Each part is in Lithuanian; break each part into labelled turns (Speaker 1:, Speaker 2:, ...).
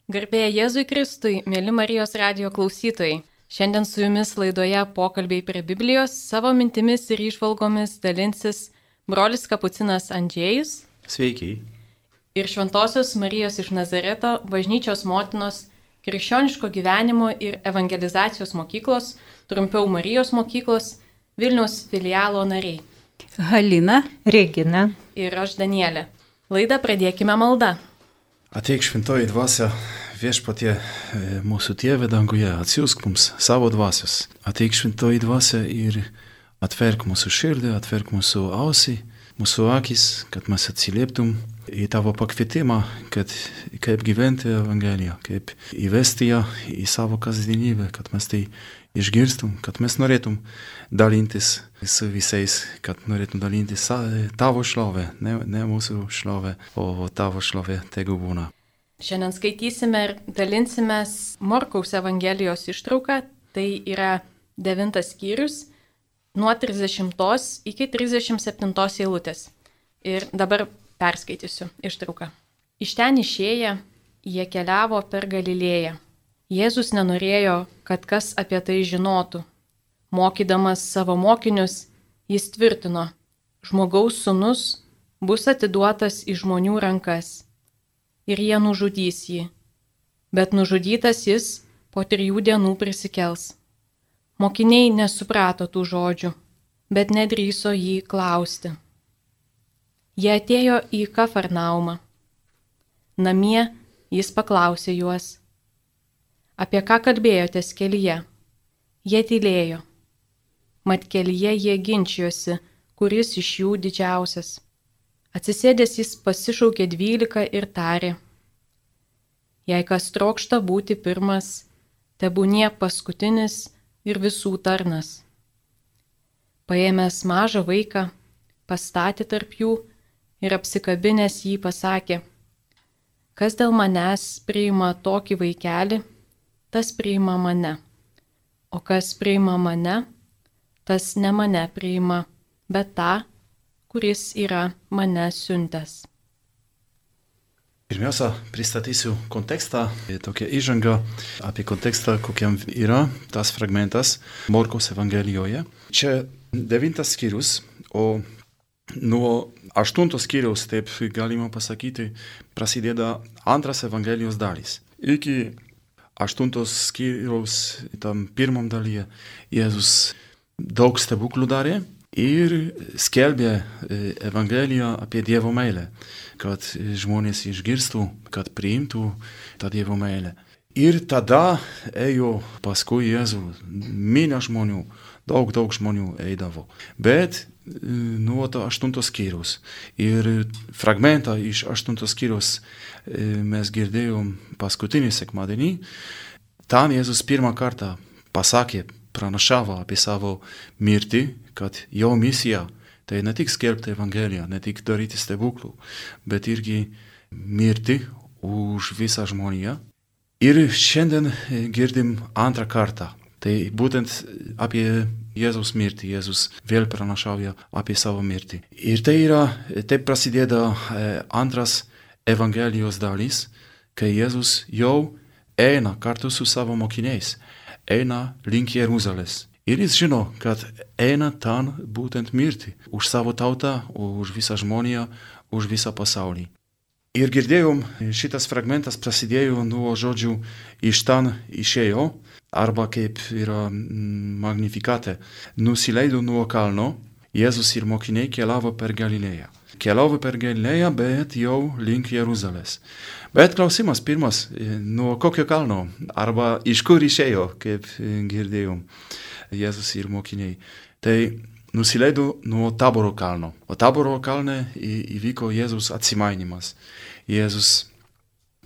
Speaker 1: Garbė Jėzui Kristui, mėly Marijos radijo klausytojai. Šiandien su jumis laidoje Pokalbiai prie Biblijos savo mintimis ir įžvalgomis dalinsis brolis kapucinas Andžėjus.
Speaker 2: Sveiki.
Speaker 1: Ir Šventosios Marijos iš Nazareto bažnyčios motinos krikščioniško gyvenimo ir evangelizacijos mokyklos, trumpiau Marijos mokyklos, Vilniaus filialo nariai.
Speaker 3: Halina, Regina
Speaker 1: Ir aš Danielė. Laidą pradėkime malda.
Speaker 2: Ateik šventoji dvasia, viešpatie mūsų Tėve danguje, atsiųsk mums savo dvasios. Ateik šventoji dvasia ir atverk mūsų širdį, atverk mūsų ausį, mūsų akis, kad mes atsilieptum į tavo pakvietimą, kad kaip gyventi Evangeliją, kaip įvesti ją į savo kasdienybę, kad mes tai išgirstum, kad mes norėtum dalintis su visais, kad norėtum dalintis tavo šlovę, ne mūsų šlovę, o tavo šlovė tegu būna.
Speaker 1: Šiandien skaitysime ir dalinsimės Morkaus Evangelijos ištrauką, tai yra 9 skyrius, nuo 30 iki 37 eilutės. Ir dabar perskaitysiu ištrauką. Iš ten išėję, jie keliavo per Galilėją. Jėzus nenorėjo, kad kas apie tai žinotų. Mokydamas savo mokinius, jis tvirtino, žmogaus sūnus bus atiduotas į žmonių rankas. Ir jie nužudys jį. Bet nužudytas jis po 3 dienų prisikels. Mokiniai nesuprato tų žodžių, bet nedrįso jį klausti. Jie atėjo į Kafarnaumą. Namie jis paklausė juos, apie ką kalbėjotės kelyje. Jie tylėjo. Mat kelyje jie ginčijosi, kuris iš jų didžiausias. Atsisėdęs jis pasišaukė 12 ir tarė, jei kas trokšta būti pirmas, tebūnie paskutinis ir visų tarnas. Paėmęs mažą vaiką, pastatė tarp jų ir apsikabinęs jį pasakė, kas dėl manęs priima tokį vaikelį, tas priima mane, o kas priima mane, tas ne mane priima, bet tą, kuris yra mane siuntęs.
Speaker 2: Pirmiausia, pristatysiu kontekstą, tokią įžangą apie kontekstą, kokiam yra tas fragmentas Morkaus Evangelijoje. Čia 9 skyrius, o nuo 8 skyriaus, taip galima pasakyti, prasideda antras Evangelijos dalis. Iki 8 skyriaus, tam pirmam dalyje, Jėzus daug stebuklų darė ir skelbė Evangeliją apie Dievo meilę, kad žmonės išgirstų, kad priimtų tą Dievo meilę. Ir tada ėjo paskui Jėzų minia žmonių, daug žmonių eidavo. Bet nuo to 8 skyriaus ir fragmentą iš 8 skyriaus mes girdėjom paskutinį sekmadienį. Ten Jėzus pirmą kartą pasakė, pranašavo apie savo mirtį, kad jo misija tai ne tik skelbti Evangeliją, ne tik daryti stebuklų, bet irgi mirti už visą žmoniją. Ir šiandien girdim antrą kartą. Tai būtent apie Jėzaus mirtį. Jėzus vėl pranašauja apie savo mirtį. Ir tai yra, taip prasideda antras Evangelijos dalis, kai Jėzus jau eina kartu su savo mokiniais, eina link Jeruzalės. Ir jis žino, kad eina ten būtent mirti už savo tautą, už visą žmoniją, už visą pasaulį. Ir girdėjom, šitas fragmentas prasidėjo nuo žodžių iš ten išėjo, arba kaip yra Magnifikate, nusileido nuo kalno, Jėzus ir mokiniai keliavo per Galilėją. Keliavo per Galilėją, bet jau link Jeruzalės. Bet klausimas pirmas, nuo kokio kalno, arba iš kur išėjo, kaip girdėjom, Jėzus ir mokiniai. Tai nusileido nuo Taboro kalno. O Taboro kalne įvyko Jėzus atsimainimas. Jėzus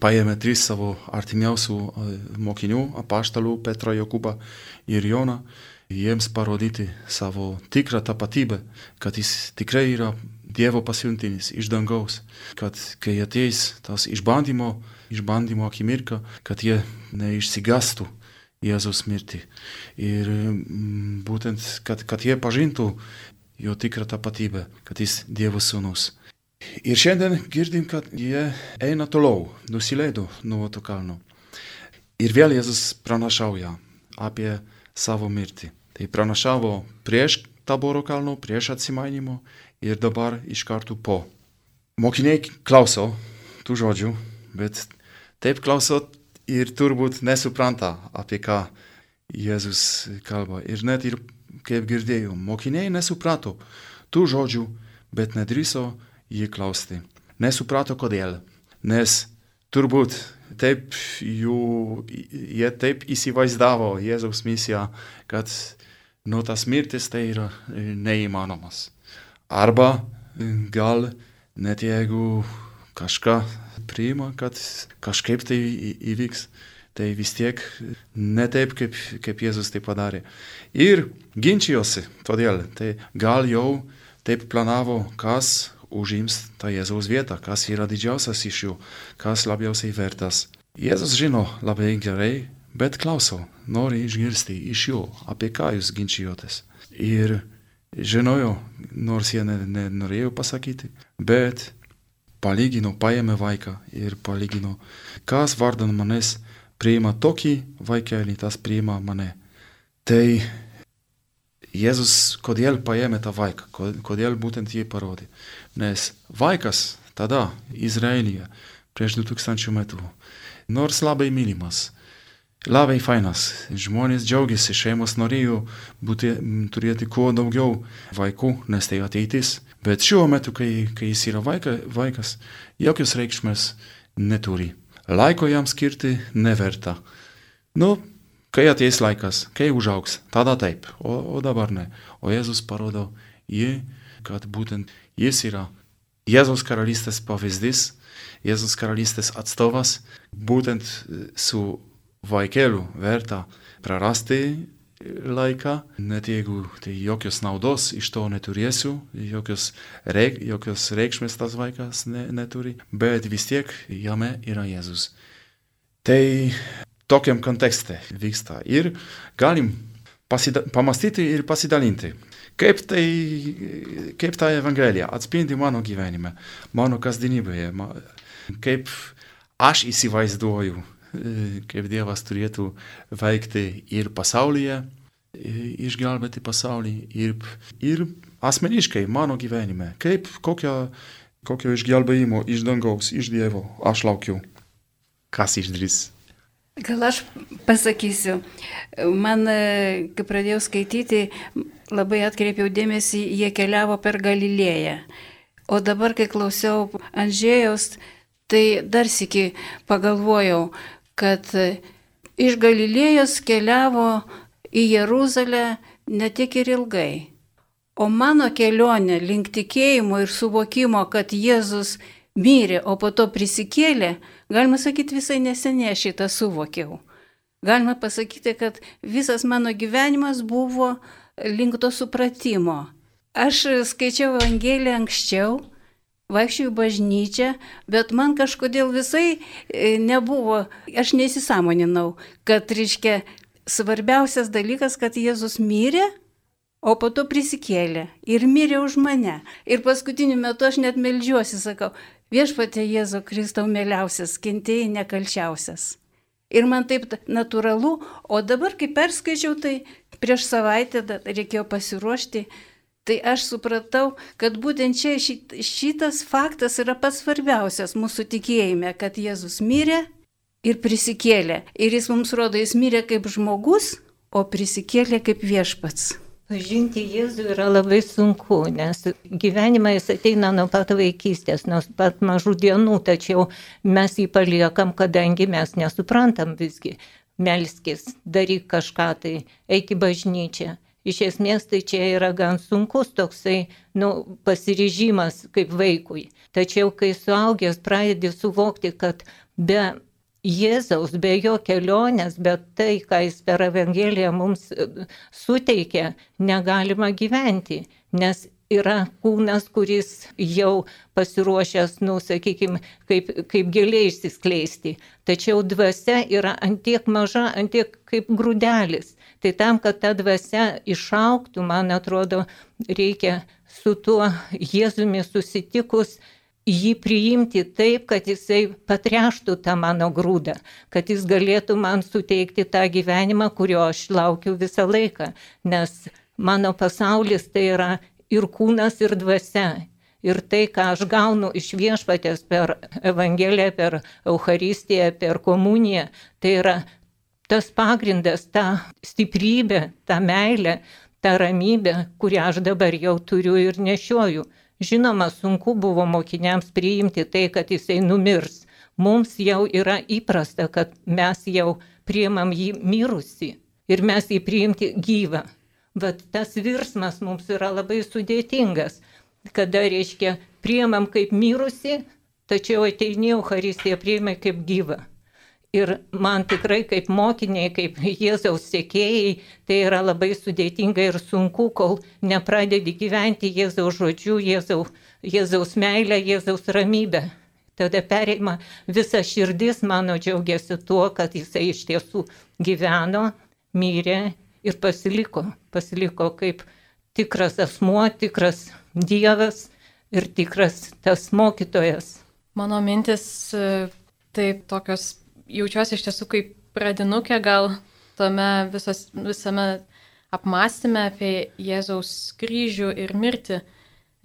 Speaker 2: paėmė 3 savo artimiausių mokinių, apaštalų Petrą, Jokūbą ir Joną, jiems parodyti savo tikrą tapatybę, kad jis tikrai yra Dievo pasiuntinis iš dangaus, kad kai ateis tas išbandymo akimirka, kad jie neišsigastų Jėzus mirtį. Ir būtent, kad jie pažintų jo tikrą tapatybę, kad jis Dievo sūnus. Ir šiandien girdim, kad jie eina toliau, nusileido nuo to kalno. Ir vėl Jėzus pranašauja apie savo mirtį. Tai pranašavo prieš Taboro kalno, prieš atsimainimo ir dabar iš karto po. Mokiniai klauso tų žodžių, bet taip klauso ir turbūt nesupranta, apie ką Jėzus kalba. Ir net ir, kaip girdėjau, mokiniai nesuprato tų žodžių, bet nedrįso jį klausti. Nesuprato kodėl, nes turbūt taip jie taip įsivaizdavo Jėzaus misiją, kad tas mirtis tai yra neįmanomas. Arba gal net jeigu kažką priima, kad kažkaip tai įvyks, tai vis tiek ne taip, kaip Jėzus tai padarė. Ir ginčijosi, todėl tai gal jau taip planavo, kas užims tą Jėzaus vietą, kas yra didžiausias iš jų, kas labiausiai vertas. Jėzus žino labai gerai, bet klauso, nori išgirsti iš jų, apie ką jūs ginčijotės. Ir žinojo, nors jie nenorėjo pasakyti, bet palygino, paėmė vaiką ir palygino, kas vardan manęs priima tokį vaikelį, tas priima mane. Tai Jėzus kodėl paėmė tą vaiką, kodėl būtent jį parodė. Nes vaikas tada Izraelyje prieš 2000 metų, nors labai mylimas, labai fainas, žmonės džiaugiasi, šeimos norėjo turėti kuo daugiau vaikų, nes tai ateitis. Bet šiuo metu, kai jis yra vaikas, jokios reikšmės neturi. Laiko jam skirti neverta. Kai ateis laikas, kai užaugs, tada taip, o dabar ne. O Jėzus parodo jį, kad būtent jis yra Jėzaus karalystės pavyzdys, Jėzaus karalystės atstovas, būtent su vaikeliu verta prarasti laiką, net jeigu tai jokios naudos iš to neturėsiu, jokios reikšmės tas vaikas neturi, bet vis tiek jame yra Jėzus. Tai tokiam kontekste vyksta ir galim pamastyti ir pasidalinti. Kaip ta Evangelija atspindi mano gyvenime, mano kasdienybėje, kaip aš įsivaizduoju, kaip Dievas turėtų veikti ir pasaulyje, išgelbėti pasaulį, ir asmeniškai mano gyvenime, kokio išgelbėjimo iš dangaus, iš Dievo aš laukiu. Kas išdrįs?
Speaker 3: Gal aš pasakysiu, man, kai pradėjau skaityti, labai atkreipiau dėmesį, jie keliavo per Galilėją. O dabar, kai klausiau Andžėjaus, tai dar sykį pagalvojau, kad iš Galilėjos keliavo į Jeruzalę ne tik ir ilgai. O mano kelionė link tikėjimo ir suvokimo, kad Jėzus mirė, o po to prisikėlė, galima sakyti, visai neseniai šitą suvokiau. Galima pasakyti, kad visas mano gyvenimas buvo link to supratimo. Aš skaičiau Evangeliją anksčiau, vaikščiojau į bažnyčią, bet man kažkodėl visai nebuvo, aš neįsisąmoninau, kad, reiškia, svarbiausias dalykas, kad Jėzus mirė, o po to prisikėlė ir mirė už mane. Ir paskutiniu metu aš net meldžiuosi, sakau, Viešpatie Jėzau Kristau mieliausias, kentėjai nekalčiausias. Ir man taip natūralu, o dabar, kai perskaičiau, tai prieš savaitę reikėjo pasiruošti, tai aš supratau, kad būtent čia šitas faktas yra pats svarbiausias mūsų tikėjime, kad Jėzus mirė ir prisikėlė. Ir jis mums rodo, jis mirė kaip žmogus, o prisikėlė kaip viešpats.
Speaker 4: Pažinti Jėzų yra labai sunku, nes gyvenimą jis ateina nuo pat vaikystės, nuo pat mažų dienų, tačiau mes jį paliekam, kadangi mes nesuprantam visgi. Melskis, daryk kažką tai, eik į bažnyčią. Iš esmės tai čia yra gan sunkus toksai pasiryžimas kaip vaikui. Tačiau kai suaugęs pradedi suvokti, kad be Jėzaus, be jo kelionės, bet tai, ką jis per Evangeliją mums suteikia, negalima gyventi, nes yra kūnas, kuris jau pasiruošęs, sakykime, kaip giliai išsiskleisti. Tačiau dvasia yra antiek maža, antiek kaip grūdelis. Tai tam, kad ta dvasia išaugtų, man atrodo, reikia su tuo Jėzumi susitikus jį priimti taip, kad jisai patreštų tą mano grūdą, kad jis galėtų man suteikti tą gyvenimą, kurio aš laukiu visą laiką, nes mano pasaulis tai yra ir kūnas, ir dvasia. Ir tai, ką aš gaunu iš Viešpaties per Evangeliją, per Eucharistiją, per komuniją, tai yra tas pagrindas, ta stiprybė, ta meilė, ta ramybė, kurią aš dabar jau turiu ir nešioju. Žinoma, sunku buvo mokiniams priimti tai, kad jisai numirs. Mums jau yra įprasta, kad mes jau priimam jį mirusį ir mes jį priimti gyvą. Bet tas virsmas mums yra labai sudėtingas, kada, reiškia, priimam kaip mirusį, tačiau ateini Eucharistiją priimai kaip gyvą. Ir man tikrai kaip mokiniai, kaip Jėzaus sekėjai, tai yra labai sudėtinga ir sunku, kol nepradedi gyventi Jėzaus žodžiu, Jėzaus meilę, Jėzaus ramybę. Tada pereima visa širdis mano džiaugiasi tuo, kad jisai iš tiesų gyveno, mirė ir pasiliko. Pasiliko kaip tikras asmuo, tikras Dievas ir tikras tas mokytojas.
Speaker 1: Mano mintis taip tokios, jaučiuosi iš tiesų kaip pradinukė gal tame visame apmąstyme apie Jėzaus kryžių ir mirtį,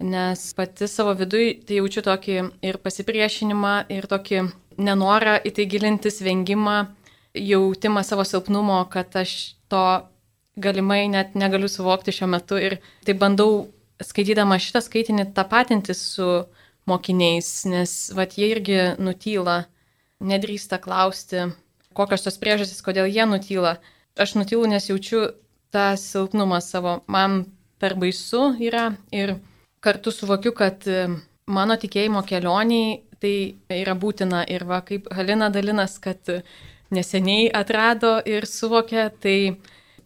Speaker 1: nes pati savo viduj tai jaučiu tokį ir pasipriešinimą, ir tokį nenorą į tai gilintis, vengimą, jautimą savo silpnumo, kad aš to galimai net negaliu suvokti šiuo metu ir tai bandau skaitydama šitą skaitinį tapatintis su mokiniais, nes jie irgi nutyla, nedrįsta klausti, kokios tos priežastys, kodėl jie nutyla. Aš nutylu, nes jaučiu tą silpnumą savo, man per baisu yra ir kartu suvokiu, kad mano tikėjimo kelioniai tai yra būtina ir kaip Halina dalinas, kad neseniai atrado ir suvokė, tai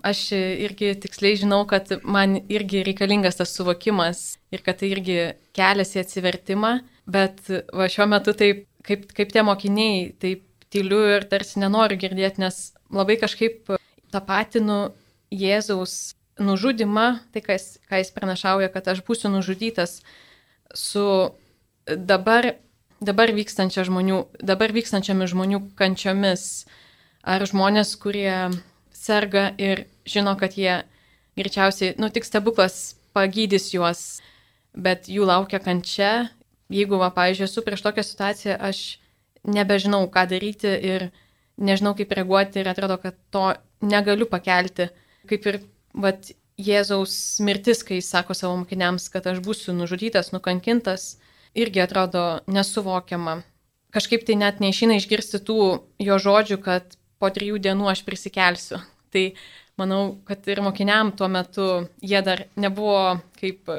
Speaker 1: aš irgi tiksliai žinau, kad man irgi reikalingas tas suvokimas ir kad tai irgi kelias į atsivertimą, bet šiuo metu taip, kaip tie mokiniai, taip tyliu ir tarsi nenoriu girdėti, nes labai kažkaip tapatinu Jėzaus nužudimą, tai ką jis pranašauja, kad aš būsiu nužudytas su dabar vykstančiomis žmonių kančiomis, ar žmonės, kurie serga ir žino, kad jie greičiausiai, tik stebuklas pagydys juos, bet jų laukia kančia. Jeigu, pavyzdžiui, esu prieš tokią situaciją, aš nebežinau, ką daryti ir nežinau, kaip reaguoti ir atrodo, kad to negaliu pakelti. Kaip ir Jėzaus mirtis, kai jis sako savo mokiniams, kad aš būsiu nužudytas, nukankintas, irgi atrodo nesuvokiama. Kažkaip tai net neišeina išgirsti tų jo žodžių, kad po 3 dienų aš prisikelsiu. Tai manau, kad ir mokiniam tuo metu jie dar nebuvo kaip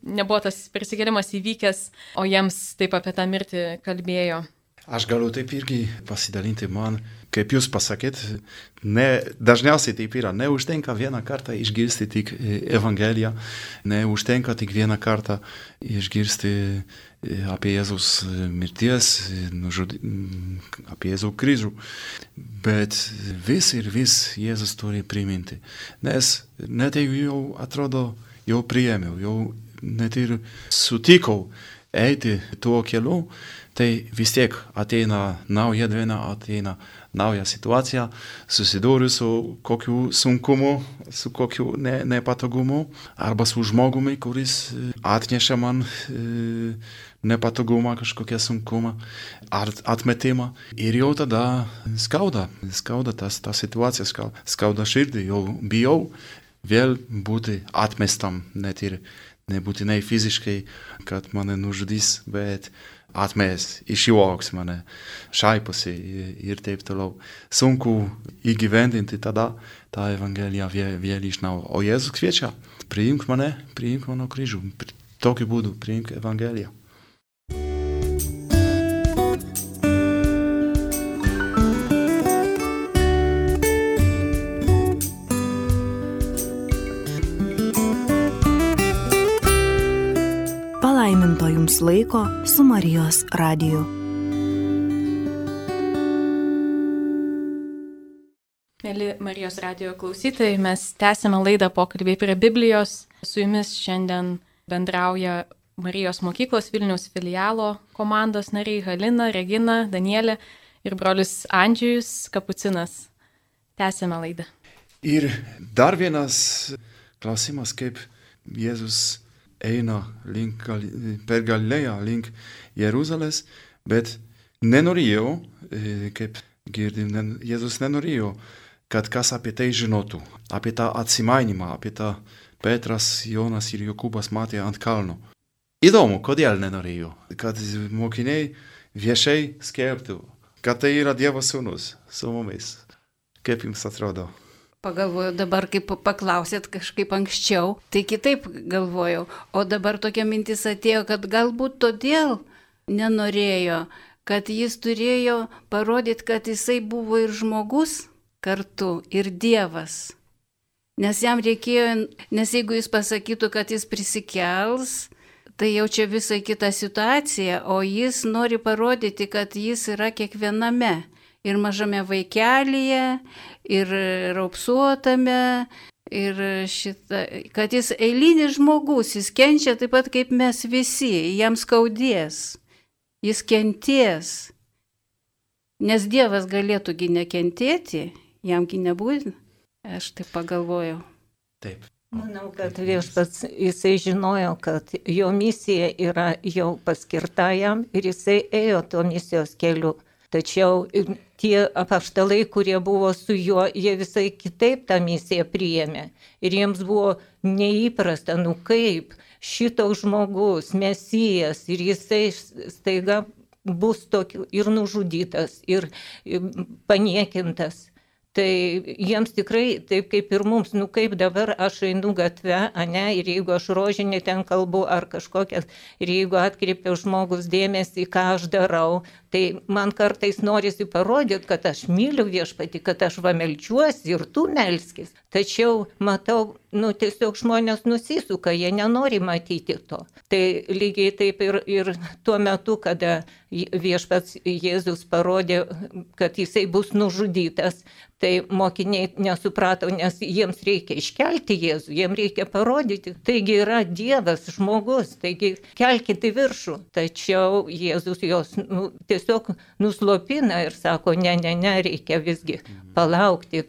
Speaker 1: nebuvo tas prisikėlimas įvykęs, o jiems taip apie tą mirtį kalbėjo.
Speaker 2: Aš galiu taip irgi pasidalinti man, kaip jūs pasakėt, dažniausiai taip yra, neužtenka vieną kartą išgirsti tik Evangeliją, neužtenka tik vieną kartą išgirsti apie Jėzaus mirties, apie Jėzaus kryžių, bet vis ir vis Jėzus turi priminti, nes net jeigu jau atrodo, jau priėmiau, jau net ir sutikau eiti tuo keliu, tai vis tiek ateina nauja diena, ateina nauja situacija, susiduriu su kokiu sunkumu, su kokiu nepatogumu, arba su žmogumi, kuris atneša man nepatogumą, kažkokią sunkumą, ar atmetimą. Ir jau tada skauda ta situacija, skauda širdį, jau bijau vėl būti atmestam, net ir nebūtinai fiziškai, kad mane nužudys, bet atmės, išjuoks mane, šaiposi ir taip toliau. Sunku įgyvendinti tada tą Evangeliją vėl iš naujo. O Jėzus kviečia, priimk mane, priimk mano kryžių. Tokiu būdu priimk Evangeliją.
Speaker 5: Palaiminto jums laiko su Marijos radiju.
Speaker 1: Mėly Marijos radijo klausytojai, mes tęsime laidą Pokalbiai prie Biblijos. Su jumis šiandien bendrauja Marijos mokyklos Vilniaus filialo komandos nariai Halina, Regina, Danielė ir brolius Andžejus Kapucinas. Tęsime laidą.
Speaker 2: Ir dar vienas klausimas, kaip Jėzus eina per Galilėją link Jeruzalės, bet nenorėjo, kaip girdim, Jėzus nenorėjo, kad kas apie tai žinotų, apie tą atsimainimą, apie tą Petras, Jonas ir Jokūbas matė ant kalno. Įdomu, kodėl nenorėjo, kad mokiniai viešai skelbtų, kad tai yra Dievo sūnus su mumis. Kaip jums atrodo?
Speaker 3: Pagalvojau, dabar kaip paklausėt kažkaip anksčiau, tai kitaip galvojau. O dabar tokia mintis atėjo, kad galbūt todėl nenorėjo, kad jis turėjo parodyti, kad jisai buvo ir žmogus kartu, ir Dievas. Nes jam reikėjo, nes jeigu jis pasakytų, kad jis prisikels, tai jau čia visai kita situacija, o jis nori parodyti, kad jis yra kiekviename. Ir mažame vaikelyje, ir raupsuotame, ir kad jis eilinis žmogus, jis kenčia taip pat kaip mes visi, jam skaudės, jis kenties. Nes Dievas galėtųgi nekentėti, jamgi nebūtina. Aš taip pagalvojau.
Speaker 2: Taip.
Speaker 4: Manau, kad Viešpats, jisai žinojo, kad jo misija yra jau paskirta jam ir jisai ėjo to misijos keliu. Tačiau tie apaštalai, kurie buvo su juo, jie visai kitaip tą misiją priėmė. Ir jiems buvo neįprasta, kaip šitoks žmogus, Mesijas, ir jisai staiga bus tokiu ir nužudytas, ir paniekintas. Tai jiems tikrai, taip kaip ir mums, kaip dabar aš einu gatve, ir jeigu aš rožinį ten kalbu ar kažkokias, ir jeigu atkreipiu žmogus dėmesį, ką aš darau, tai man kartais norisi parodyti, kad aš myliu Viešpatį, kad aš melčiuosi ir tu melskis. Tačiau matau, tiesiog žmonės nusisuka, jie nenori matyti to. Tai lygiai taip ir tuo metu, kada Viešpats Jėzus parodė, kad jisai bus nužudytas, tai mokiniai nesuprato, nes jiems reikia iškelti Jėzų, jiems reikia parodyti, taigi yra Dievas, žmogus, taigi kelkite į viršų. Tačiau Jėzus jos tiesiog nuslopina ir sako, ne, reikia visgi palaukti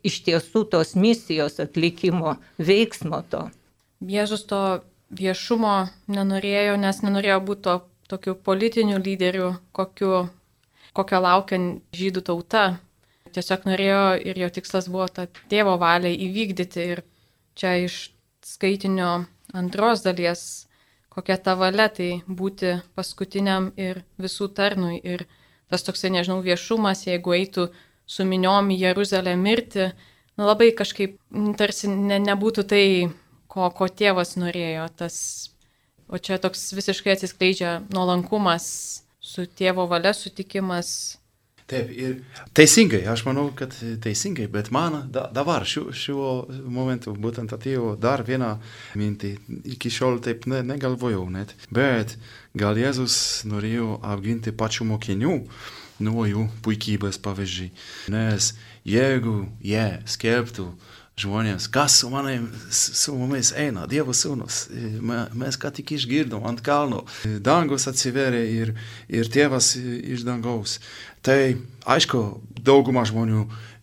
Speaker 4: iš tiesų tos misijos atlikimo, veiksmo to.
Speaker 1: Jėzus to viešumo nenorėjo, nes nenorėjo būti tokiu politiniu lyderiu, kokio laukia žydų tauta. Tiesiog norėjo ir jo tikslas buvo tą tėvo valią įvykdyti. Ir čia iš skaitinio antros dalies, kokia ta valia, tai būti paskutiniam ir visų tarnui. Ir tas toksai, viešumas, jeigu eitų su miniom į Jeruzalę mirti, labai kažkaip tarsi nebūtų tai, ko tėvas norėjo. O čia toks visiškai atsiskleidžia nuolankumas su tėvo valia, sutikimas.
Speaker 2: Taip, ir teisingai, aš manau, kad teisingai, bet man dabar šiuo momentu būtent atėjo dar viena mintį, iki šiol taip negalvojau net, bet gal Jėzus norėjo apginti pačių mokinių nuo jų puikybės pavyzdžiui, nes jeigu jie skelbtų žmonėms, kas su mumis eina, Dievo sūnus, mes ką tik išgirdom ant kalno, dangus atsiverė ir tėvas iš dangaus. Tai, aišku, dauguma žmonių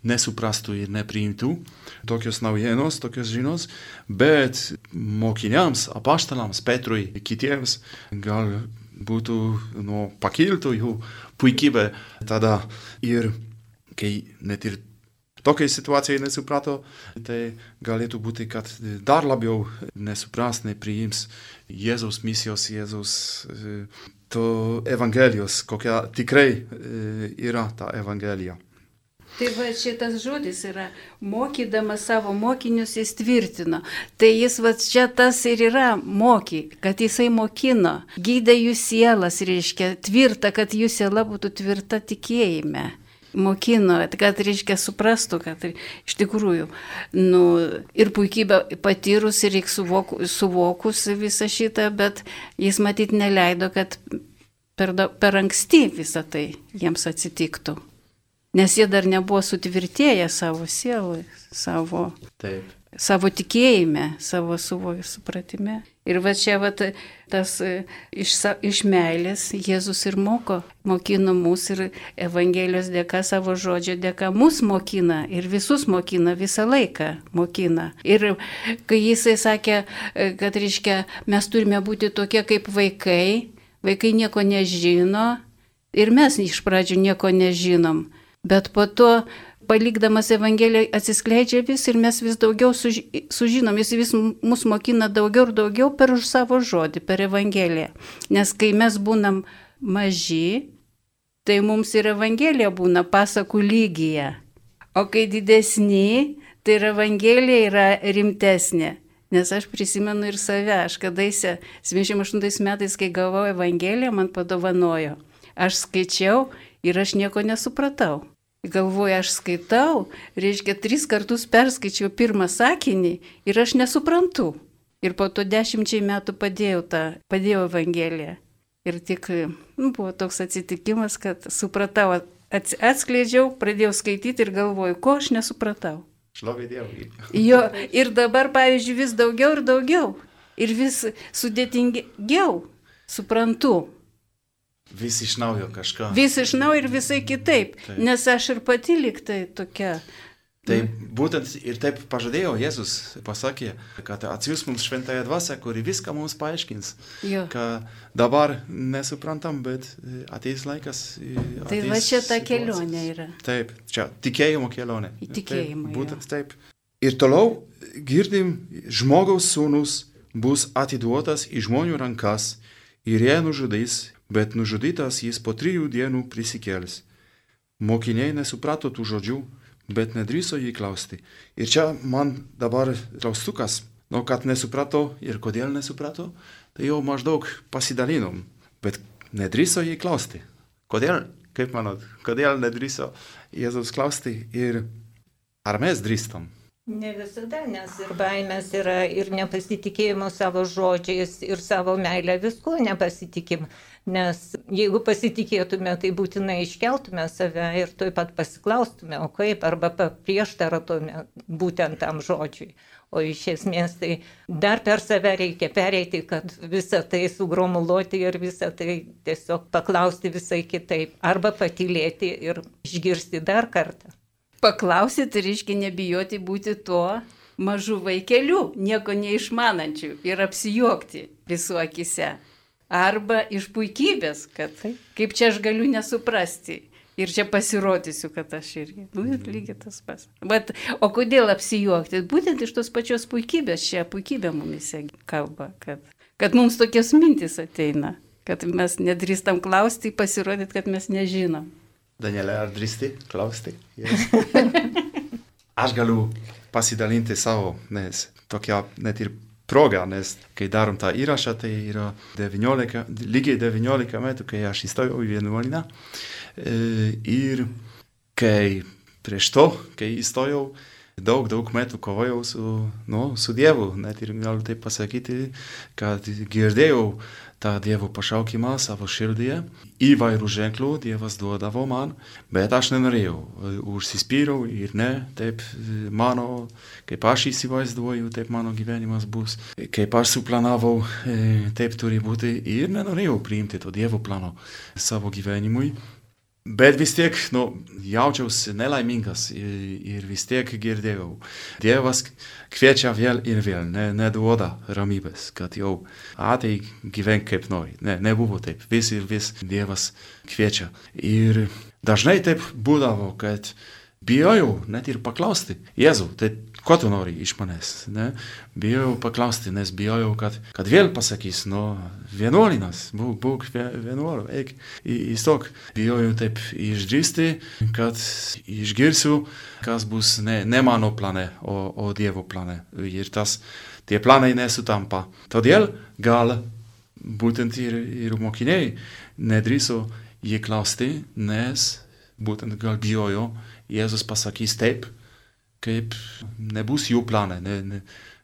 Speaker 2: nesuprastų ir nepriimtų tokios naujienos, tokios žinios, bet mokiniams, apaštalams, Petrui, kitiems gal būtų pakiltų jų puikybė tada. Ir kai net ir tokiai situacijai nesuprato, tai galėtų būti, kad dar labiau nesupras, nepriims Jėzaus misijos, Jėzaus to evangelijos, kokia tikrai yra ta evangelija.
Speaker 3: Tai va šitas žodis yra, mokydamas savo mokinius jis tvirtino. Tai jis va čia tas ir yra kad jisai mokino, gydė jų sielas, reiškia, tvirta, kad jų siela būtų tvirta tikėjime. Mokino, kad, reiškia, suprastų, kad iš tikrųjų, ir puikybę patyrus ir suvokus visą šitą, bet jis matyt neleido, kad per anksti visą tai jiems atsitiktų. Nes jie dar nebuvo sutvirtėję savo sielui, savo
Speaker 2: Taip.
Speaker 3: savo tikėjime, savo supratime. Ir va čia va tas iš meilės Jėzus ir mokino mus ir Evangelijos dėka, savo žodžio dėka mus mokina ir visus mokina, visą laiką mokina. Ir kai jisai sakė, kad reiškia, mes turime būti tokie kaip vaikai nieko nežino ir mes iš pradžių nieko nežinom, bet po to palikdamas Evangeliją atsiskleidžia vis ir mes vis daugiau sužinom, jis vis mus mokina daugiau ir daugiau per savo žodį, per Evangeliją. Nes kai mes būnam maži, tai mums ir Evangelija būna pasakų lygyje. O kai didesni, tai ir Evangelija yra rimtesnė. Nes aš prisimenu ir save, aš kadaise 78 metais, kai gavau Evangeliją, man padovanojo. Aš skaičiau ir aš nieko nesupratau. Galvoju, aš skaitau, reiškia 3 kartus perskaičiau pirmą sakinį ir aš nesuprantu. Ir po to 10 metų padėjau Evangeliją. Ir tik buvo toks atsitikimas, kad supratau, atskleidžiau, pradėjau skaityti ir galvoju, ko aš nesupratau.
Speaker 2: Šlovė Dievui.
Speaker 3: Jo, ir dabar, pavyzdžiui, vis daugiau ir daugiau. Ir vis sudėtingiau suprantu.
Speaker 2: Vis iš naujo kažką.
Speaker 3: Vis iš naujo ir visai kitaip, taip. Nes aš ir pati liktai tokia.
Speaker 2: Tai būtent ir taip pažadėjo Jėzus, pasakė, kad atsiųs mums šventąją dvasią, kuri viską mums paaiškins. Jo. Kad dabar nesuprantam, bet ateis laikas.
Speaker 3: Tai va čia ta kelionė yra.
Speaker 2: Taip, čia tikėjimo kelionė.
Speaker 3: Tikėjimo.
Speaker 2: Būtent taip. Ir toliau girdim, žmogaus sūnus bus atiduotas į žmonių rankas ir jie nužudys, bet nužudytas jis po 3 dienų prisikėlis. Mokiniai nesuprato tų žodžių, bet nedrįso jį klausti. Ir čia man dabar klaustukas, kad nesuprato ir kodėl nesuprato, tai jau maždaug pasidalinom, bet nedrįso jį klausti. Kodėl, kaip manot, kodėl nedrįso Jėzaus klausti ir ar mes drįstam?
Speaker 4: Ne visada, nes ir baimės yra, ir nepasitikėjimo savo žodžiais, ir savo meilę visko nepasitikim. Nes jeigu pasitikėtume, tai būtinai iškeltume save ir tuoj pat pasiklaustume, o kaip, arba prieštaratume būtent tam žodžiui. O iš esmės tai dar per save reikia pereiti, kad visą tai sugromuluoti ir visą tai tiesiog paklausti visai kitaip. Arba patylėti ir išgirsti dar kartą.
Speaker 3: Paklausti, tai reiškia nebijoti būti tuo mažu vaikeliu, nieko neišmanančiu ir apsijuokti visų akise. Arba iš puikybės, kad kaip čia aš galiu nesuprasti ir čia pasirodysiu, kad aš irgi. Lygiai tas pats. Bet, o kodėl apsijuokti? Būtent iš tos pačios puikybės, čia puikybė mumise kalba, kad mums tokios mintis ateina, kad mes nedrįstam klausti, pasirodyti, kad mes nežinom.
Speaker 2: Danielė, ar drįsti klausti? Yes. Aš galiu pasidalinti savo, nes tokia net ir proga, nes kai darom tą įrašą, tai yra lygiai 19 metų, kai aš įstojau į vienuolyną. Ir kai prieš to, kai įstojau, daug metų kovojau su Dievu. Net ir galiu taip pasakyti, kad girdėjau tą Dievo pašaukimą savo širdyje. Įvairių ženklų Dievas duodavo man, bet aš nenorėjau. Užsispyriau ir ne, taip mano, kaip aš įsivaizduoju, taip mano gyvenimas bus. Kaip aš suplanavau, taip turi būti ir nenorėjau priimti to Dievo plano savo gyvenimui. Bet vis tiek, jaučiausi nelaimingas ir vis tiek girdėjau. Dievas kviečia vėl ir vėl, neduoda ramybės, kad jau ateik gyvenk kaip nori. Nebuvo taip, vis ir vis Dievas kviečia. Ir dažnai taip būdavo, kad bijojau net ir paklausti, Jėzau, tai ko tu nori iš manęs? Bijojau paklausti, nes bijojau, kad vėl pasakys, vienuolinas, būk vienuoliu, eik įstok. Bijojau taip išdrįsti, kad išgirsiu, kas bus ne mano plane, o Dievo plane. Ir tie planai nesutampa. Todėl gal būtent ir mokiniai nedrįso jį klausti, nes būtent gal bijojo, Jėzus pasakys taip, kaip nebus jų plane,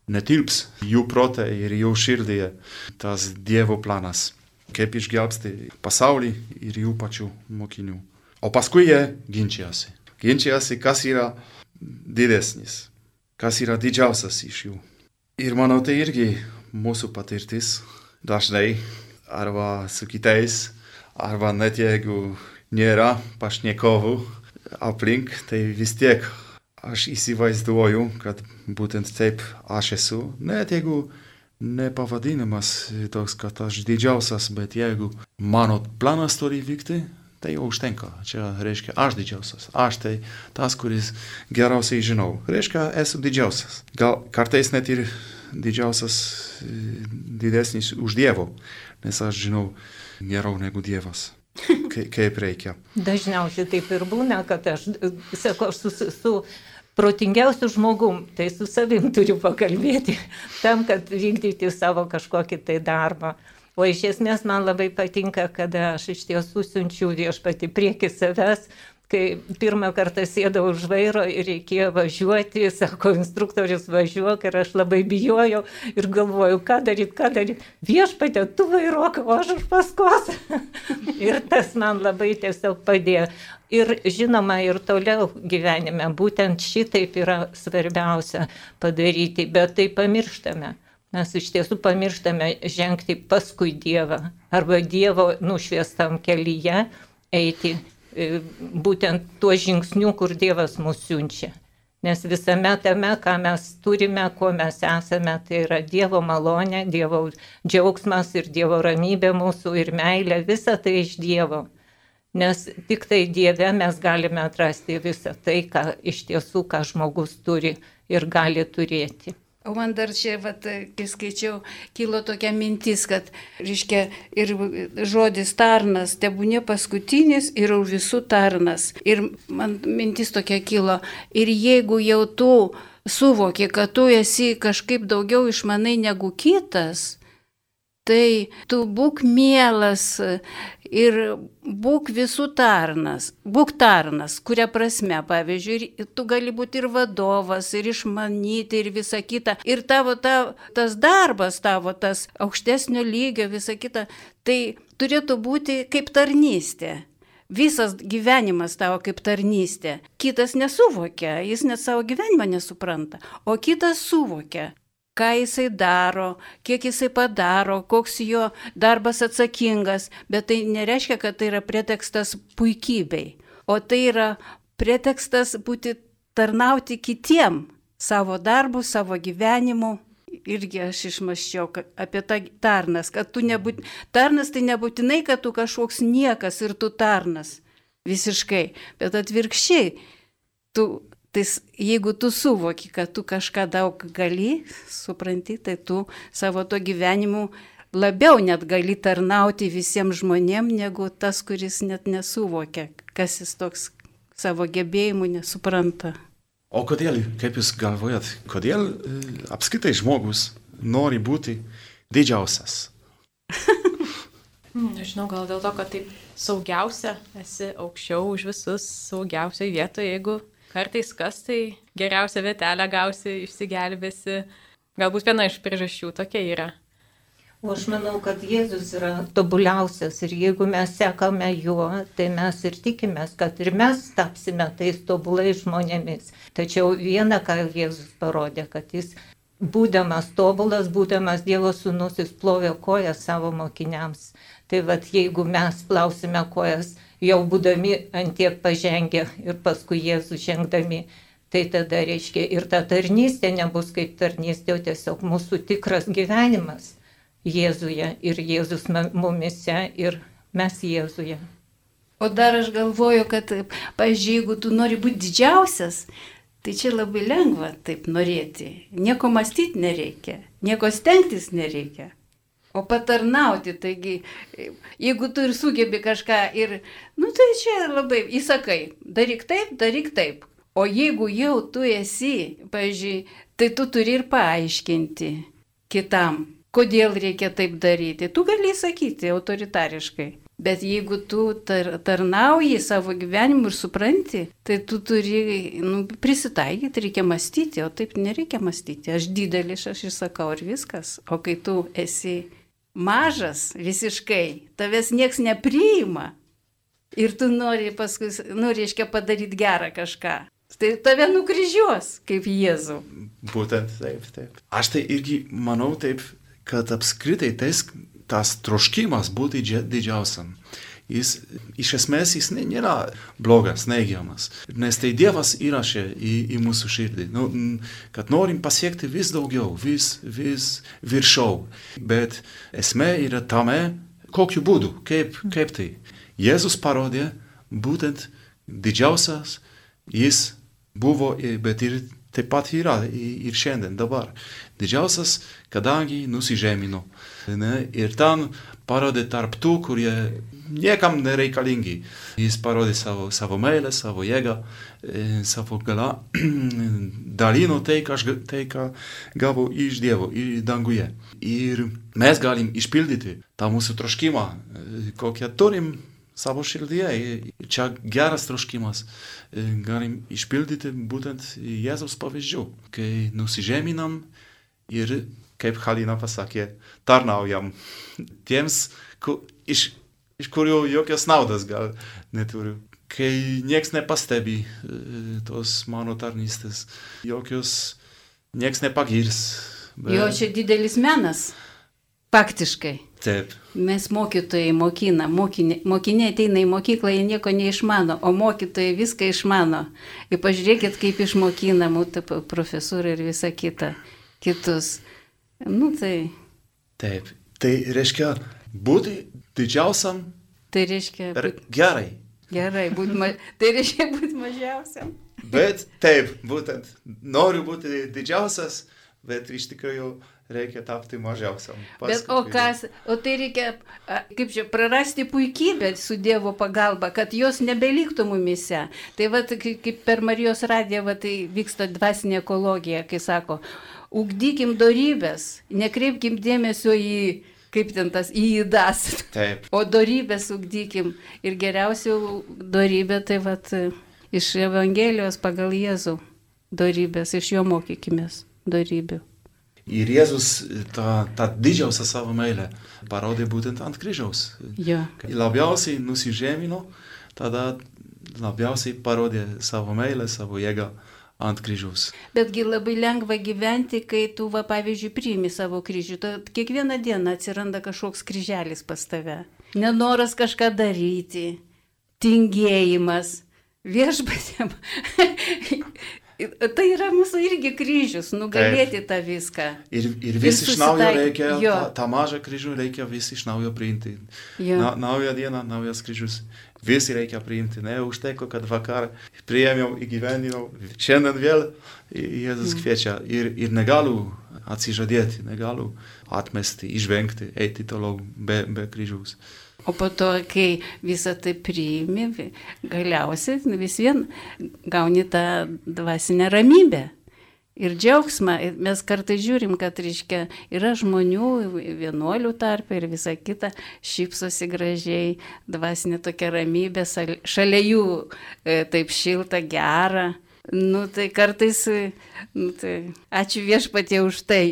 Speaker 2: netilps jų prote ir jų širdyje tas Dievo planas, kaip išgelbsti pasaulį ir jų pačių mokinių. O paskui jie ginčijasi, kas yra didesnis. kas yra didžiausias iš jų. Ir manau, tai irgi mūsų patirtis dažnai arba su kitais, arba net jeigu nėra pašnekovų aplink, tai vis tiek aš įsivaizduoju, kad būtent taip aš esu. Net jeigu nepavadinimas toks, kad aš didžiausias, bet jeigu mano planas turi vykti, tai jau užtenka. Čia reiškia aš didžiausias. Aš tai tas, kuris geriausiai žinau. Reiškia esu didžiausias. Gal kartais net ir didžiausias, didesnis už Dievo, nes aš žinau geriau negu Dievas. Kaip reikia.
Speaker 4: Dažniausiai taip ir būna, kad aš sakau, aš su protingiausiu žmogum, tai su savim turiu pakalbėti, tam, kad vykdyti savo kažkokį tai darbą. O iš esmės man labai patinka, kada aš iš tiesų siunčiu Viešpatį prieki savęs, kai pirmą kartą sėdau už vairo ir reikėjo važiuoti, sako instruktorius važiuok ir aš labai bijojau ir galvoju, ką daryti. Viešpatė, tu vairuok, o aš už paskos. Ir tas man labai tiesiog padėjo. Ir žinoma, ir toliau gyvenime, būtent šitaip yra svarbiausia padaryti, bet tai pamirštame. Mes iš tiesų pamirštame žengti paskui Dievą arba Dievo nušviestam kelyje eiti būtent tuo žingsniu, kur Dievas mus siunčia. Nes visame tame, ką mes turime, kuo mes esame, tai yra Dievo malonė, Dievo džiaugsmas ir Dievo ramybė mūsų ir meilė, visa tai iš Dievo. Nes tik tai Dieve mes galime atrasti visą tai, ką iš tiesų, ką žmogus turi ir gali turėti.
Speaker 3: O man dar čia, kai skaičiau, kilo tokia mintis, kad, reiškia, ir žodis tarnas, tebūnė paskutinis ir už visų tarnas. Ir man mintis tokia kilo, ir jeigu jau tu suvoki, kad tu esi kažkaip daugiau išmanai negu kitas, tai tu būk mielas ir būk visų tarnas. Būk tarnas, kuria prasme, pavyzdžiui, tu gali būti ir vadovas, ir išmanyti, ir visa kita. Ir tavo tas darbas, tavo tas aukštesnio lygio, visa kita, tai turėtų būti kaip tarnystė. Visas gyvenimas tavo kaip tarnystė. Kitas nesuvokia, jis net savo gyvenimą nesupranta, o kitas suvokia, ką jisai daro, kiek jisai padaro, koks jo darbas atsakingas, bet tai nereiškia, kad tai yra pretekstas puikybei, o tai yra pretekstas būti tarnauti kitiem savo darbu, savo gyvenimu. Irgi aš išmąsčiau apie tą tarnas, kad tarnas tai nebūtinai, kad tu kažkoks niekas ir tu tarnas visiškai, bet atvirkščiai, jeigu tu suvoki, kad tu kažką daug gali, supranti, tai tu savo to gyvenimu labiau net gali tarnauti visiems žmonėms, negu tas, kuris net nesuvokia, kas jis toks savo gebėjimų nesupranta.
Speaker 2: O kodėl, kaip jūs galvojat, kodėl apskritai žmogus nori būti didžiausias?
Speaker 1: Nežinau, gal dėl to, kad taip saugiausia, esi aukščiau už visus, saugiausiai vietoje, jeigu kartais kas, tai geriausia vietelę gausi, išsigelbėsi. Galbūt viena iš priežasčių tokia yra.
Speaker 4: O aš manau, kad Jėzus yra tobuliausias ir jeigu mes sekame juo, tai mes ir tikimės, kad ir mes tapsime tais tobulais žmonėmis. Tačiau viena, ką Jėzus parodė, kad jis, būdamas tobulas, būdamas Dievo sūnus, jis plovė kojas savo mokiniams. Tai jeigu mes plausime kojas, jau būdami antiek pažengę ir paskui Jėzų žengdami, tai tada reiškia ir ta tarnystė nebus kaip tarnystė, o tiesiog mūsų tikras gyvenimas Jėzuje ir Jėzus mumise ir mes Jėzuje.
Speaker 3: O dar aš galvoju, kad, pavyzdžiui, jeigu tu nori būti didžiausias, tai čia labai lengva taip norėti. Nieko mąstyti nereikia, nieko stengtis nereikia. O patarnauti, taigi, jeigu tu ir sugebi kažką ir, tai čia labai įsakai, daryk taip. O jeigu jau tu esi, pavyzdžiui, tai tu turi ir paaiškinti kitam, kodėl reikia taip daryti. Tu gali sakyti autoritariškai, bet jeigu tu tarnauji savo gyvenimu ir supranti, tai tu turi prisitaikyti, reikia mąstyti, o taip nereikia mąstyti. Aš didelis, aš įsakau ir viskas, o kai tu esi mažas visiškai, tavęs nieks nepriima ir tu nori paskui, reiškia padaryti gerą kažką. Tai tave nukryžiuos kaip Jėzų.
Speaker 2: Būtent taip. Aš tai irgi manau taip, kad apskritai tas troškimas būti didžiausiam. Jis iš esmės nėra blogas, neigiamas. Nes tai Dievas įrašė į mūsų širdį, kad norim pasiekti vis daugiau, vis viršau. Bet esmė yra tame, kokiu būdu, kaip tai. Jėzus parodė būtent didžiausias, jis buvo, bet ir taip pat yra ir šiandien, dabar. Didžiausias, kadangi nusižemino. Ir ten parodė tarp tų, kurie niekam nereikalingi. Jis parodė savo meilę, savo jėgą, savo galą, dalino tai, ką gavo iš Dievo, danguje. Ir mes galim išpildyti tą mūsų troškimą, kokią turim savo širdyje. Čia geras troškimas. Galim išpildyti būtent Jėzaus pavyzdžių, kai nusižeminam ir, kaip Halina pasakė, tarnaujam tiems, iš kurių jokios naudos gal neturiu. Kai nieks nepastebi tos mano tarnystės, nieks nepagirs.
Speaker 3: Jo, čia didelis menas, faktiškai.
Speaker 2: Taip.
Speaker 3: Mes mokytojai mokina, mokiniai ateina į mokyklą, jie nieko neišmano, o mokytojai viską išmano. Ir pažiūrėkit, kaip išmokina mūsų profesūra ir visa kitus.
Speaker 2: Taip. Tai reiškia būti didžiausiam.
Speaker 3: Tai reiškia
Speaker 2: gerai.
Speaker 3: Tai reiškia būti mažiausiam.
Speaker 2: Bet taip, būtent noriu būti didžiausias, bet iš tikrųjų reikia tapti mažiausiam.
Speaker 3: Bet o tai reikia, prarasti puikybę su Dievo pagalba, kad jos nebeliktų mumise. Tai kaip per Marijos radiją, tai vyksta dvasinė ekologija, kai sako, ugdykim dorybės, nekreipkim dėmesio į įdas.
Speaker 2: Taip.
Speaker 3: O dorybės ugdykim. Ir geriausia dorybė, tai iš Evangelijos pagal Jėzų dorybės, iš jo mokykimės dorybių.
Speaker 2: Ir Jėzus tą didžiausią savo meilę parodė būtent ant kryžiaus.
Speaker 3: Ja.
Speaker 2: Labiausiai nusižemino, tada labiausiai parodė savo meilę, savo jėgą ant kryžiaus.
Speaker 3: Betgi labai lengva gyventi, kai tu, pavyzdžiui, priimi savo kryžių. Kiekvieną dieną atsiranda kažkoks kryželis pas tave. Nenoras kažką daryti, tingėjimas, viešpatėm. Tai yra mūsų irgi kryžius, nugalėti tą viską.
Speaker 2: Ir vis iš naujo reikia, tą mažą kryžių reikia vis iš naujo priimti. Nauja diena, naujas kryžius. Visi reikia priimti. Neužteko, kad vakar priėmiau, įgyvendinau. Šiandien vėl Jėzus kviečia. Ir negaliu atsižadėti, negaliu atmesti, išvengti, eiti toliau be kryžiaus.
Speaker 3: O po to, kai visą tai priimi, galiausiai vis vien gauni tą dvasinę ramybę ir džiaugsmą. Mes kartais žiūrim, kad yra žmonių, vienuolių tarpe ir visa kita, šypsosi gražiai, dvasinė tokia ramybė, šalia jų taip šilta, gera. Tai kartais, ačiū Viešpatie už tai,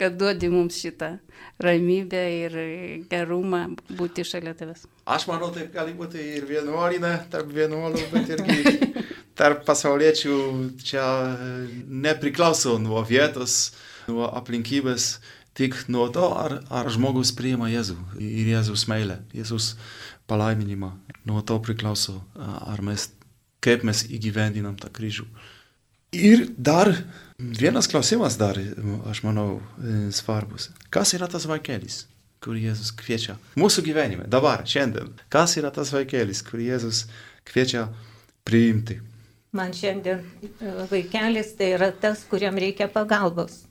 Speaker 3: kad duodi mums šitą ramybę ir gerumą būti šalia tavęs.
Speaker 2: Aš manau, taip gali būti ir vienuolinė, tarp vienuolių, bet irgi tarp pasauliečių čia nepriklauso nuo vietos, nuo aplinkybės, tik nuo to, ar žmogus priima Jėzų ir Jėzus meilę, Jėzus palaiminimą. Nuo to priklauso, kaip mes įgyvendinam tą kryžių. Ir dar vienas klausimas aš manau, svarbus. Kas yra tas vaikelis, kurį Jėzus kviečia mūsų gyvenime, dabar, šiandien? Kas yra tas vaikelis, kurį Jėzus kviečia priimti?
Speaker 4: Man šiandien vaikelis tai yra tas, kuriam reikia pagalbos.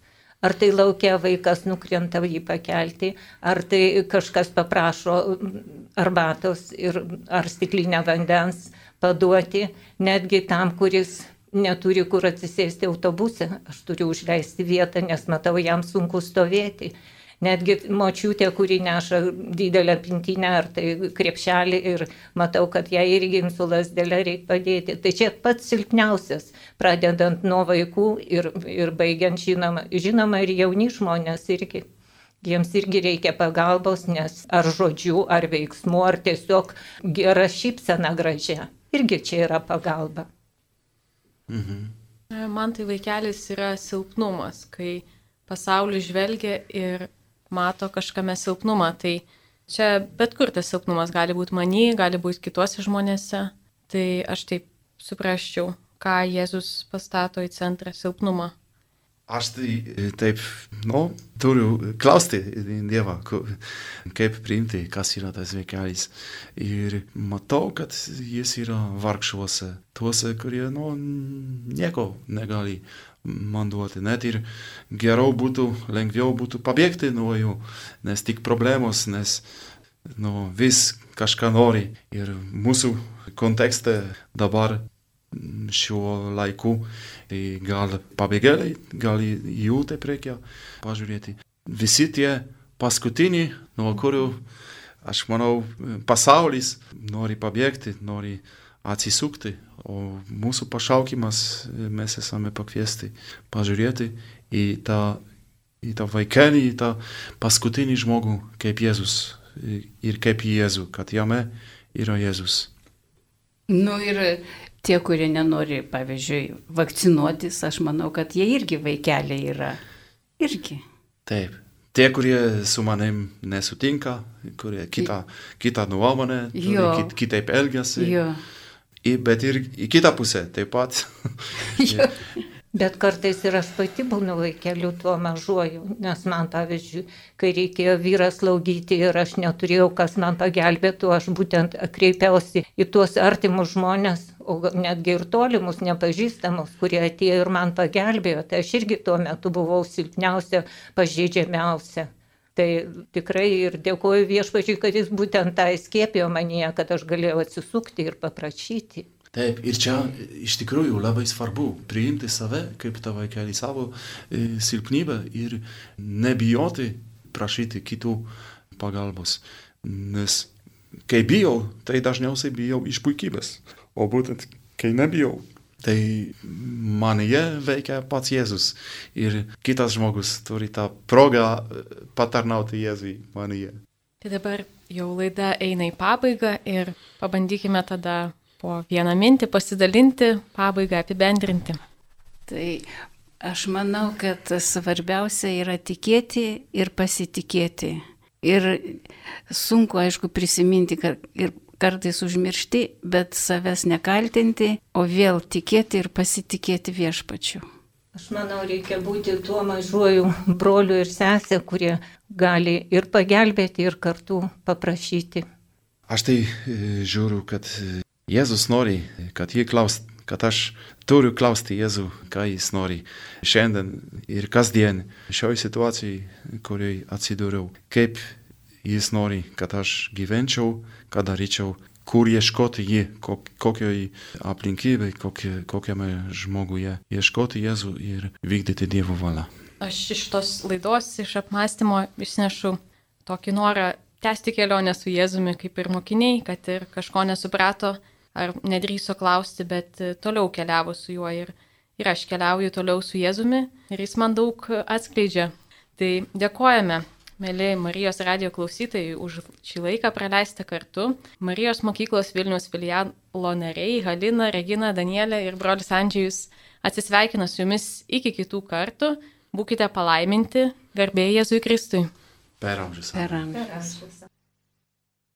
Speaker 4: Ar tai laukia vaikas nukrenta jį pakelti, ar tai kažkas paprašo arbatos ar stiklinę vandens paduoti, netgi tam, kuris neturi kur atsisėsti autobuse, aš turiu užleisti vietą, nes matau, jam sunku stovėti. Netgi močiutė, kuri neša didelę pintinę ar tai krepšelį ir matau, kad jai irgi su lasdelė reikia padėti. Tai čia pats silpniausias, pradedant nuo vaikų ir baigiant žinoma ir jauni žmonės irgi. Jiems irgi reikia pagalbos, nes ar žodžių, ar veiksmų, ar tiesiog gera šypsena gražia. Irgi čia yra pagalba.
Speaker 1: Man tai vaikelis yra silpnumas, kai pasaulis žvelgia ir mato kažkame silpnumą. Tai čia bet kur tas silpnumas gali būti many, gali būti kituose žmonėse. Tai aš taip suprasčiau, ką Jėzus pastato į centrą silpnumą.
Speaker 2: Aš tai taip, turiu klausti Dievą, kaip priimti, kas yra tas vaikelis. Ir matau, kad jis yra vargšuose, tuose, kurie, nieko negali man duoti. Net ir geriau būtų, lengviau būtų pabėgti nuo jų, nes tik problemos, nes vis kažką nori. Ir mūsų kontekste dabar šiuo laiku, tai gal pabėgėliai, gal jų taip reikia pažiūrėti. Visi tie paskutiniai, nuo kurių, aš manau, pasaulis nori pabėgti, nori atsisukti, o mūsų pašaukimas mes esame pakviesti pažiūrėti į tą vaikelį, į tą paskutinį žmogų kaip Jėzus ir kaip Jėzų, kad jame yra Jėzus.
Speaker 3: Ir tie, kurie nenori, pavyzdžiui, vakcinuotis, aš manau, kad jie irgi vaikeliai yra. Irgi.
Speaker 2: Taip. Tie, kurie su manim nesutinka, kurie kitą nuomonę, kitaip elgiasi. Bet ir į kitą pusę taip pat.
Speaker 4: Bet kartais ir aš pati būnu vaikeliu tuo mažuoju, nes man, pavyzdžiui, kai reikėjo vyrą slaugyti ir aš neturėjau, kas man pagelbėtų, aš būtent kreipiausi į tuos artimus žmonės, o netgi ir tolimus, nepažįstamus, kurie atėjo ir man pagelbėjo. Tai aš irgi tuo metu buvau silpniausia, pažeidžiamiausia. Tai tikrai ir dėkoju Viešpačiui, kad jis būtent tą įskiepijo manyje, kad aš galėjau atsisukti ir paprašyti.
Speaker 2: Taip, ir čia iš tikrųjų labai svarbu priimti save kaip tą vaikelį, savo silpnybę ir nebijoti prašyti kitų pagalbos. Nes kai bijau, tai dažniausiai bijau iš puikybės. O būtent kai nebijau, tai manyje veikia pats Jėzus. Ir kitas žmogus turi tą progą patarnauti Jėzui manyje.
Speaker 1: Tai dabar jau laida eina į pabaigą ir pabandykime tada po vieną mintį pasidalinti, pabaigą apibendrinti.
Speaker 3: Tai aš manau, kad svarbiausia yra tikėti ir pasitikėti. Ir sunku, aišku, prisiminti ir kartais užmiršti, bet savęs nekaltinti, o vėl tikėti ir pasitikėti Viešpačiu.
Speaker 4: Aš manau, reikia būti tuo mažuoju broliu ir sesė, kurie gali ir pagelbėti, ir kartu paprašyti.
Speaker 2: Aš tai žiūriu, kad Jėzus nori, kad aš turiu klausti Jėzų, ką jis nori šiandien ir kasdien šioje situacijoje, kurioje atsidūriau. Kaip jis nori, kad aš gyvenčiau, ką daryčiau, kur ieškoti jį, kokioj aplinkybėj, kokiame žmoguje ieškoti Jėzų ir vykdyti Dievo valią.
Speaker 1: Aš iš tos laidos, iš apmąstymo išnešu tokį norą tęsti kelionę su Jėzumi kaip ir mokiniai, kad ir kažko nesuprato ar nedrįso klausti, bet toliau keliavo su juo ir aš keliauju toliau su Jėzumi ir jis man daug atskleidžia. Tai dėkojame, mėly Marijos radijo klausytojai, už šį laiką praleistą kartu. Marijos mokyklos Vilniaus filialo nariai Halina, Regina, Danielė ir brolis Andžejus atsisveikina su jumis iki kitų kartų. Būkite palaiminti, garbė Jėzui Kristui.
Speaker 2: Per amžius.
Speaker 3: Per amžius.